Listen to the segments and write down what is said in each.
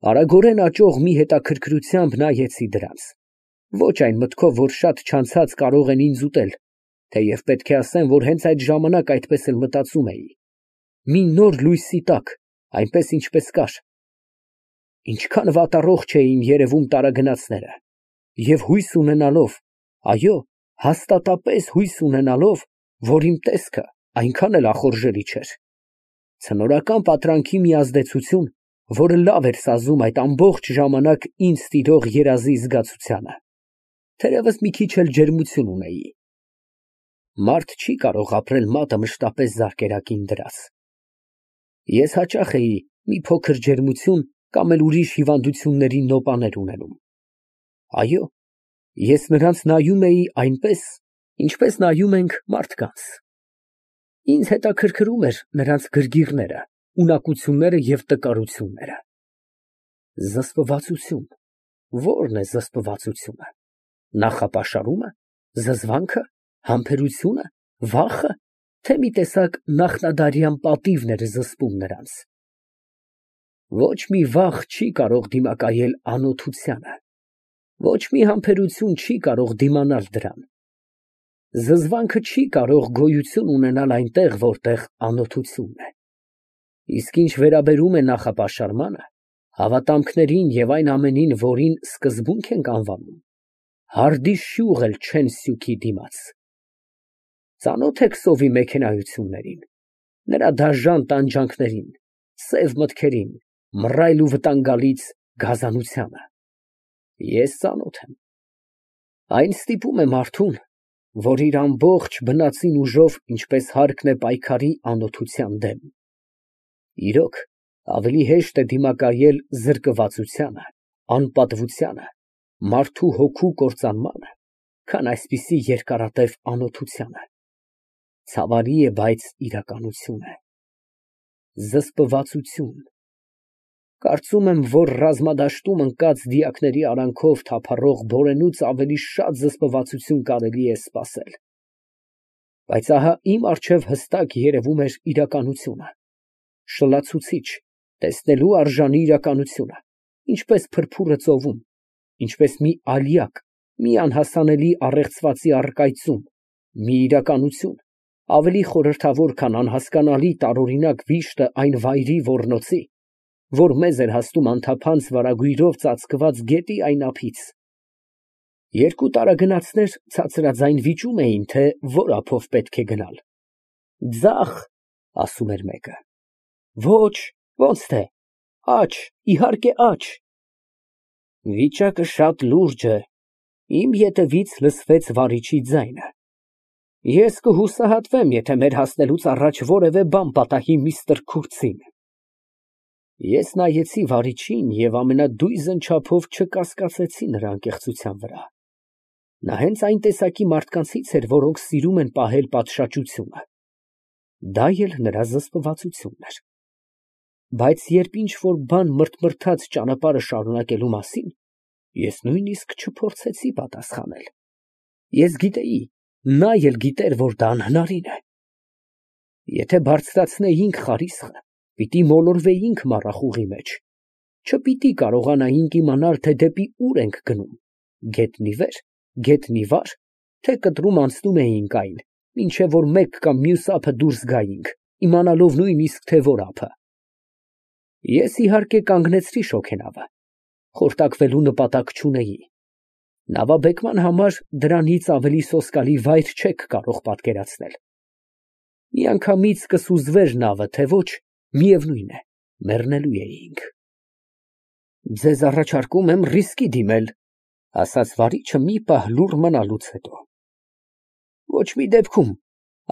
Արագորեն աճող մի հետաքրքրությամբ նայեցի դրանց, ոչ այն մտքով, որ շատ չանցած կարող են ինձ ուտել, թեև պետք է ասեմ, որ հենց այդ ժամանակ այդպես էլ մտածում էի, մի նոր լույսի տակ, այնպես ինչպես կար։ Ինչքան վատառողջ էին երևում տարագնացները, և հույս ունենալով, այո, հաստատապես հույս ունենալով, որ իմ տեսքը այնքան էլ ախորժելի չէր։ Ցնորական պատրանքի մի ազդեցություն, որը լավ էր սազում այդ ամբողջ ժամանակ ինձ տիրող երազի զգացությանը, թերևս մի քիչ էլ ջերմություն ունեի։ Մարդ չի կարող ապրել մատը մշտապես զարկերակին դրած։ Ես հաճախ էի մի փոքր ջերմություն կամ էլ ուրիշ հիվանդությունների նոպաներ ունենում։ Այո, ես նրանց նայում էի այնպես, ինչպես նայում ենք մարդկանց։ Ինձ հետաքրքրում էր նրանց գրգիռները, ունակությունները և տկարությունները։ Զսպվածություն, ո՞րն է զսպվածությունը, նախապաշարումը, զզվանքը, համբերությունը, վախը, թե մի տեսակ նախնադարյան պատիվն էր զսպում նրանց։ Ոչ մի վախ չի կարող դիմակայել անօթությանը, ոչ մի համբերություն չի կարող դիմանալ դրան։ Զզվանքը չի կարող գոյություն ունենալ այնտեղ, որտեղ անօթությունն է։ Իսկ ինչ վերաբերում է նախապաշարմանը, հավատամքներին և այն ամենին, որին սկզբունք ենք անվանում, հարդի շյուղ էլ չեն սյուքի դիմաց։ Ծանո՞թ եք սովի մեքենայություններին, նրա դաժան տանջանքներին, սև մտքերին, մռայլ ու վտանգալից գազանությանը։ Ես ծանոթ եմ։ Այն ստիպում է մարդուն, որ իր ամբողջ բնածին ուժով, ինչպես հարկն է պայքարի անօթության դեմ։ Իրոք, ավելի հեշտ է դիմակայել զրկվածությանը, անպատվությանը, մարդու հոգու կործանմանը, քան այսպիսի երկարատև անօթությանը։ Ցավալի է, բայց իրականություն է։ Զսպվածություն։ Կարծում եմ, որ ռազմադաշտում ընկած դիակների արանքով թափառող բորենուց ավելի շատ զսպվածություն կարելի է սպասել։ Բայց ահա իմ առջև հստակ երևում էր իրականությունը, շլացուցիչ, տեսնելու արժանի իրականությունը, ինչպես փրփուրը ծովում, ինչպես մի ալյակ, մի անհասանելի առեղծվածի առկայծում, մի իրականություն, ավելի խորհրդավոր, քան անհասկանալի տարօրինակ վիշտը այն վայրի ոռնոցի, որ մեզ էր հասնում անթափանց վարագույրով ծածկված գետի այն ափից։ Երկու տարագնացներ ցածրաձայն վիճում էին, թե որ ափով պետք է գնալ։ Ձախ, ասում էր մեկը։ Ոչ, ոնց թե, աջ, իհարկե աջ։ Վիճակը շատ լուրջ է, իմ ետևից լսվեց վարիչի ձայնը։ Ես կհուսահատվեմ, եթե մեր հասնելուց առաջ որևէ բան պատահի միստր Քուրթսին։ Ես նայեցի վարիչին և ամենադույզն չափով չկասկածեցի նրա անկեղծության վրա։ Նա հենց այն տեսակի մարդկանցից էր, որոնք սիրում են պահել պատշաճությունը։ Դա էլ նրա զսպվածությունն էր։ Բայց երբ ինչ֊որ բան մրթմրթաց ճանապարհը շարունակելու մասին, ես նույնիսկ չփորձեցի պատասխանել։ Ես գիտեի, նա էլ գիտեր, որ դա անհնարին է։ Եթե բարձրացնեինք խարիսխը, պիտի մոլորվեինք մառախուղի մեջ, չպիտի կարողանայինք իմանալ, թե դեպի ուր ենք գնում, գետնի վեր, գետնի վար, թե կտրում անցնում էինք այն, մինչև որ մեկ կամ մյուս ափը դուրս գայինք, իմանալով նույնիսկ, թե որ ափը։ Ես իհարկե կանգնեցրի շոգենավը, խորտակվելու նպատակ չունեի։ Նավաբեկման համար դրանից ավելի սոսկալի վայր չեք կարող պատկերացնել։ Միանգամից կսուզվեր նավը, թե ոչ, միևնույն է, մեռնելու էինք։ Ձեզ առաջարկում եմ ռիսկի դիմել, ասաց վարիչը մի պահ լուռ մնալուց հետո։ Ոչ մի դեպքում,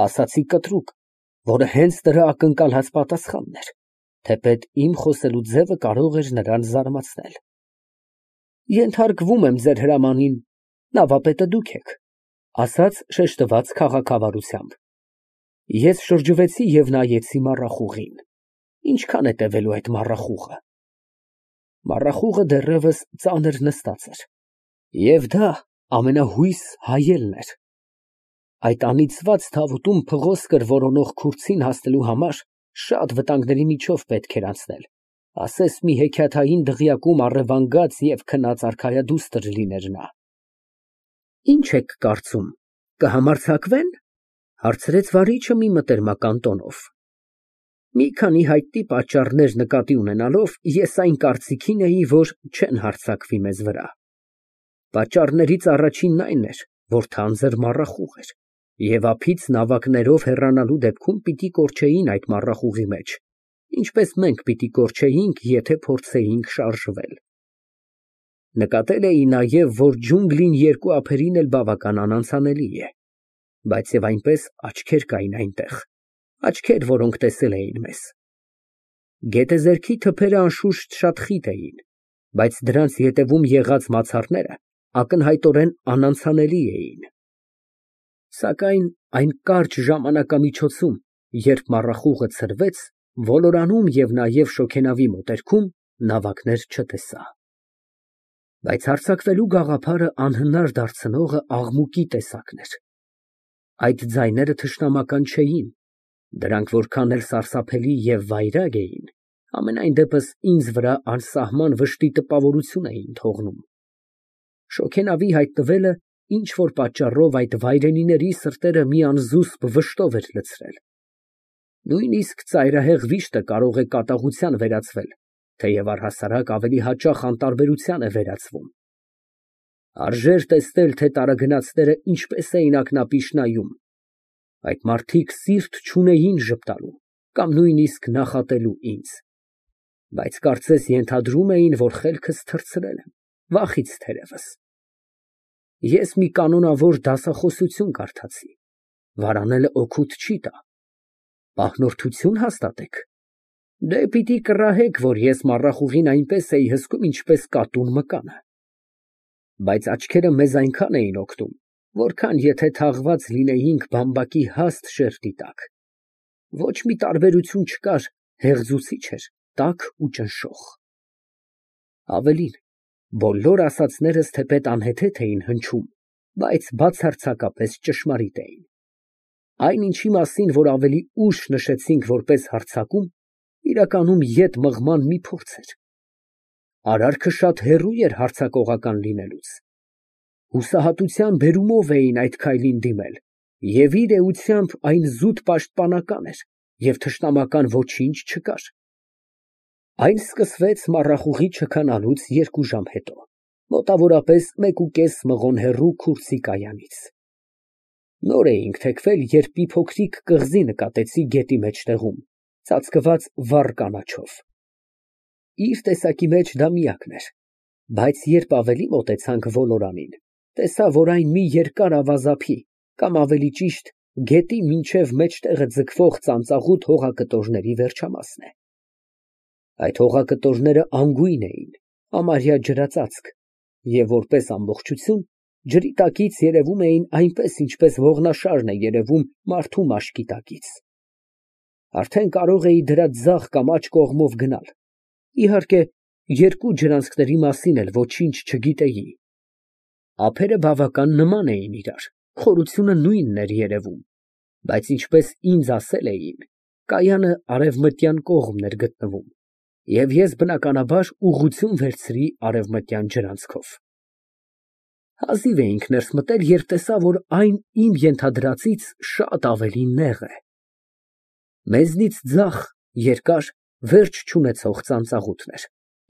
ասացի կտրուկ, որը հենց դրա ակնկալած պատասխանն էր, թեպետ իմ խոսելու ձևը կարող էր նրան զարմացնել։ Ենթարկվում եմ ձեր հրամանին, նավապետը դուք եք, ասաց շեշտված քաղաքավարությամբ։ Ես շրջվեցի և նայեցի մառախուղին։ Ինչքան է տևելու այդ մառախուղը։ Մառախուղը դեռևս ծանր նստած էր։ Եվ դա ամենահույս հայելն էր։ Այդ անիծված թավուտում փղոսկր որոնող Քուրթսին հասնելու համար շատ վտանգների միջով պետք էր անցնել, Ասես մի հեքիաթային դղյակում առևանգած և քնած արքայադուստր լիներ նա։ Ինչ եք կարծում, կհամարձակվե՞ն, հարցրեց վարիչը մի մտերմական տոնով։ Մի քանի հայտնի պատճառներ նկատի ունենալով, ես այն կարծիքին էի, որ չեն հարձակվի մեզ վրա։ Պատճառներից առաջինն այն էր, որ թանձր մառախուղ էր, և ափից նավակներով հեռանալու դեպքում պիտի կորչեին այդ մառախուղի մեջ, ինչպես մենք պիտի կորչեինք, եթե փորձեինք շարժվել։ Նկատել էի նաև, որ ջունգլին երկու ափերին էլ բավական անանցանելի է, բայց և այնպես աչքեր կային այնտեղ, աչքեր, որոնք տեսել էին մեզ։ Գետեզերքի թփերը անշուշտ շատ խիտ էին, բայց դրանց ետևում եղած մացառները ակնհայտորեն անանցանելի էին։ Սակայն այն կարճ ժամանակամիջոցում, երբ մառախուղը ցրվեց, ոլորանում և նաև շոգենավի մոտերքում նավակներ չտեսա։ Բայց հարձակվելու գաղափարը անհնար դարձնողը աղմուկի տեսակն էր։ Այդ ձայները թշնամական չէին, դրանք որքան էլ սարսափելի և վայրագ էին, համենայն դեպս ինձ վրա անսահման վշտի տպավորություն էին թողնում։ Շոգենավի հայտնվելը ինչ֊որ պատճառով այդ վայրենիների սրտերը մի անզուսպ վշտով էր լցրել։ Նույնիսկ ծայրահեղ վիշտը կարող է կատաղության վերածվել, թեև առհասարակ ավելի հաճախ անտարբերության է վերածվում։ Արժեր տեսնել, թե տարագնացները ինչպես էին ակնապիշ նայում։ Այդ մարդիկ սիրտ չունեին ժպտալու կամ նույնիսկ նախատելու ինձ, բայց կարծես ենթադրում էին, որ խելքս թռցրել եմ, վախից թերևս։ Ես մի կանոնավոր դասախոսություն կարդացի. վարանելը օգուտ չի տա։ Պահնորդություն հաստատեք։ Դե պիտի կռահեք, որ ես մառախուղին այնպես էի հսկում, ինչպես կատուն մկանը։ Բայց աչքերը մեզ այնքան էին օգնում, որքան եթե թաղված լինեինք բամբակի հաստ շերտի տակ։ Ոչ մի տարբերություն չկար, հեղձուցիչ էր, տաք ու ճնշող։ Ավելին, բոլոր ասածներս թեպետ անհեթեթ էին հնչում, բայց բացարձակապես ճշմարիտ էին։ Այն ինչի մասին, որ ավելի ուշ նշեցինք որպես հարձակում, իրականում ետ մղման մի փորձ էր։ Արարքը շատ հեռու էր հարձակողական լինելուց։ Հուսահատության բերումով էին այդ քայլին դիմել, և իր էությամբ այն զուտ պաշտպանական էր, և թշնամական ոչինչ չկար։ Այն սկսվեց մառախուղի չքանալուց 2 ժամ հետո, մոտավորապես 1.5 մղոն հեռու քուրձի կայանից։ Նոր էինք թեքվել, երբ մի փոքրիկ կղզի նկատեցի գետի մեջտեղում, ծածկված վառ կանաչով։ Իր տեսակի մեջ դա միակն էր, բայց երբ ավելի մոտեցանք ոլորանին, տեսա, որ այն մի երկար ավազափի, կամ ավելի ճիշտ, գետի մինչև մեջտեղը ձգվող ծանծաղուտ հողակտորների վերջամասն է։ Այդ հողակտորները անգույն էին, համարյա ջրածածկ, և որպես ամբողջություն, ջրի տակից երևում էին այնպես, ինչպես ողնաշարն է երևում մարդու մաշկի տակից։ Արդեն կարող էի դրա ձախ կամ աջ կողմով գնալ։ Իհարկե, 2 ջրանցքների մասին էլ ոչինչ չգիտեի։ Ափերը բավական նման էին իրար, խորությունը նույնն էր երևում, բայց ինչպես ինձ ասել էին, կայանը արևմտյան կողմն էր գտնվում, և ես բնականաբար ուղղություն վերցրի արևմտյան ջրանցքով։ Հազիվ էինք ներս մտել, երբ տեսա, որ այն իմ ենթադրածից շատ ավելի նեղ է։ Մեզնից ձախ, երկար, վերջ չունեցող ծանծաղուտն էր,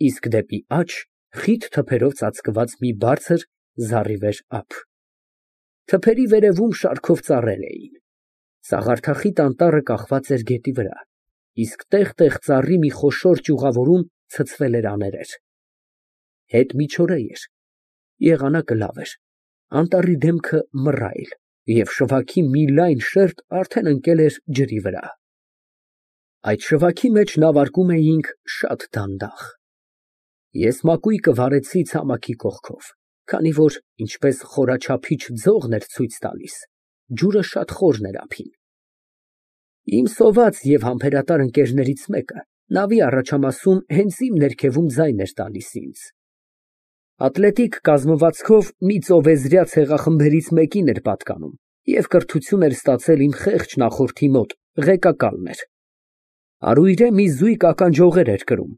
իսկ դեպի աջ խիտ թփերով ծածկված մի բարձր, զառիվեր ափ։ Թփերի վերևում շարքով ծառեր էին։ Սաղարթախիտ անտառը կախված էր գետի վրա, իսկ տեղ֊տեղ ծառի մի խոշոր ճյուղավորում ցցվել էր աներեր։ Հետ միջօրե էր, եղանակը լավ էր, անտառի դեմքը մռայլ, և շվաքի մի լայն շերտ արդեն ընկել էր ջրի վրա։ Այդ շվաքի մեջ նավարկում էինք շատ դանդաղ։ Ես մակույկը վարեցի ցամաքի կողքով, քանի որ, ինչպես խորաչափիչ ձողն էր ցույց տալիս, ջուրը շատ խորն էր ափին։ Իմ սոված և համբերատար ընկերներից մեկը նավի առաջամասում հենց իմ ներքևում ձայն էր տալիս ինձ։ Ատլետիկ կազմվածքով մի ծովեզրյա ցեղախմբերից մեկին էր պատկանում և կրթություն էր ստացել իմ խեղճ նախորդի մոտ, ղեկակալն էր։ Առուйրե մի զույգ ականջողեր էր կրում,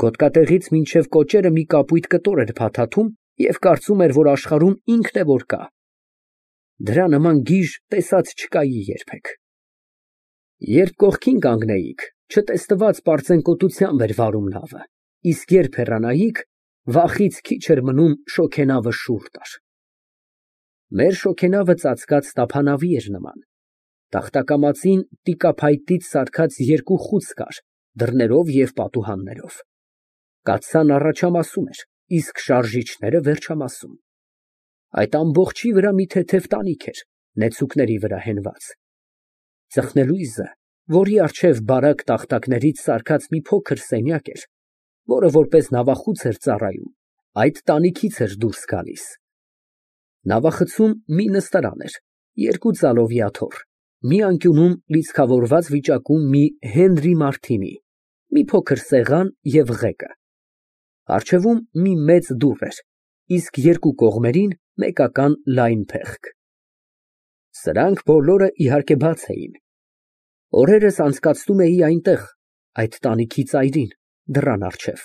Գոտկատեղից մինչև կոճերը մի կապույտ կտոր էր փաթաթում և կարծում էր, որ աշխարհում ինքն է որ կա։ Դրա նման գիժ տեսած չկայի երբեք։ Երբ կողքին կանգնեիք, չտեսնված պարծենկոտությամբ էր վարում նավը, իսկ երբ հեռանայիք, վախից քիչ էր մնում շոգենավը շուռ տար։ Մեր շոգենավը ծածկած տափանավի էր նման։ Տախտակամածին տիկափայտից սարքած երկու խուց կար, դռներով և պատուհաններով։ Կաթսան առաջամասում էր, իսկ շարժիչները վերջամասում։ Այդ ամբողջի վրա մի թեթև տանիք էր, նեցուկների վրա հենված։ Ծխնելույզը, որի առջև բարակ տախտակներից սարքած մի փոքր սենյակ էր, որը որպես նավախուց էր ծառայում, այդ տանիքից էր դուրս գալիս։ Նավախցում մի նստարան էր, երկու ձալովի աթոռ, մի անկյունում լիցքավորված վիճակում մի Հենրի Մարտինի, մի փոքր սեղան և ղեկը։ Առջևում մի մեծ դուռ էր, իսկ երկու կողմերին մեկական լայն փեղկ։ Սրանք բոլորը, իհարկե, բաց էին։ Օրերս անցկացնում էի այնտեղ, այդ տանիքի ծայրին, դռան առջև։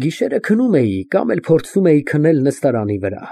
Գիշերը քնում էի կամ էլ փորձում էի քնել նստարանի վրա,